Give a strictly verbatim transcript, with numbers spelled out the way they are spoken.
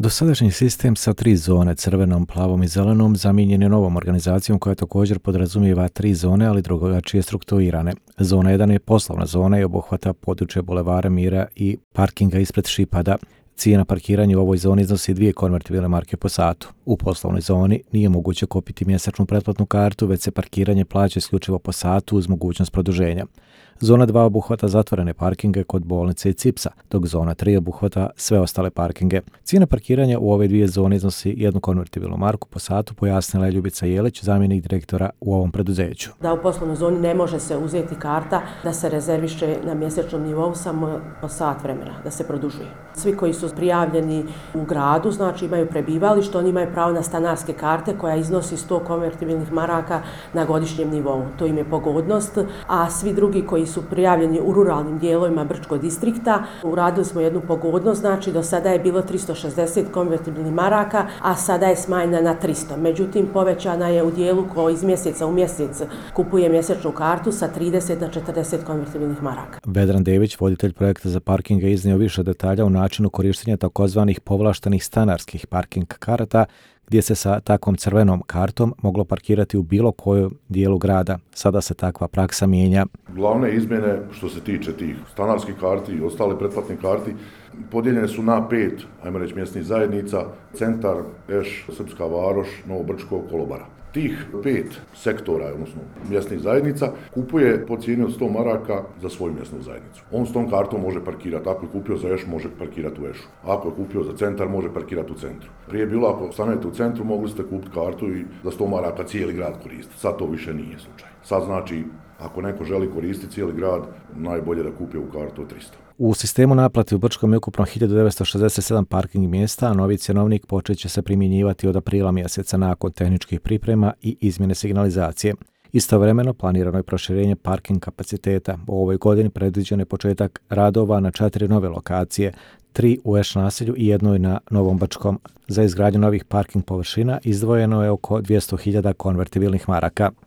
Dosadašnji sistem sa tri zone, crvenom, plavom i zelenom, zamijenjen je novom organizacijom koja također podrazumijeva tri zone, ali drugačije strukturirane. Zona jedan je poslovna zona i obuhvata područje Bulevara Mira i parkinga ispred Šipada. Cijena parkiranja u ovoj zoni iznosi dvije konvertibilne marke po satu. U poslovnoj zoni nije moguće kupiti mjesečnu pretplatnu kartu, već se parkiranje plaća isključivo po satu uz mogućnost produženja. Zona dva obuhvata zatvorene parkinge kod bolnice i Cipsa, dok zona tri obuhvata sve ostale parkinge. Cijena parkiranja u ove dvije zone iznosi jednu konvertibilnu marku po satu, pojasnila je Ljubica Jelić, zamjenik direktora u ovom preduzeću. Da u poslovnoj zoni ne može se uzeti karta da se rezerviše na mjesečnom nivou samo po sat vremena, da se produžuje. Svi koji su prijavljeni u gradu, znači imaju prebivalište, oni imaju pravo na stanarske karte koja iznosi sto konvertibilnih maraka na godišnjem nivou. To im je pogodnost, a svi drugi koji su prijavljeni u ruralnim dijelovima Brčkog distrikta, uradili smo jednu pogodnost, znači do sada je bilo tristo šezdeset konvertibilnih maraka, a sada je smanjena na tristo. Međutim, povećana je u dijelu koji iz mjeseca u mjesec kupuje mjesečnu kartu sa trideset na četrdeset konvertibilnih maraka. Vedran Dević, voditelj projekta za parkinge, iznio više detalja o načinu korištenja takozvanih povlaštenih stanarskih parking karata, gdje se sa takvom crvenom kartom moglo parkirati u bilo kojem dijelu grada. Sada se takva praksa mijenja. Glavne izmjene što se tiče tih stanarskih karti i ostale pretplatne karti podijeljene su na pet, ajmo reći, mjesnih zajednica: Centar, Eš, Srpska Varoš, Novo Brčko, Kolobara. Tih pet sektora, odnosno mjesnih zajednica, kupuje po cijeni od sto maraka za svoju mjesnu zajednicu. On s tom kartom može parkirati. Ako je kupio za Eš, može parkirati u Ešu. Ako je kupio za Centar, može parkirati u centru. Prije je bilo, ako stanete u centru, mogli ste kupiti kartu i za sto maraka cijeli grad koristiti. Sad to više nije slučaj. Sad znači, ako neko želi koristiti cijeli grad, najbolje da kupi u kartu od tristo. U sistemu naplate u Brčkom je ukupno hiljadu devetsto šezdeset sedam parking mjesta, a novi cjenovnik počet će se primjenjivati od aprila mjeseca nakon tehničkih priprema i izmjene signalizacije. Istovremeno planirano je proširenje parking kapaciteta. U ovoj godini predviđen je početak radova na četiri nove lokacije, tri u Eš naselju i jednoj na Novom Brčkom. Za izgradnju novih parking površina izdvojeno je oko dvjesto hiljada konvertibilnih maraka.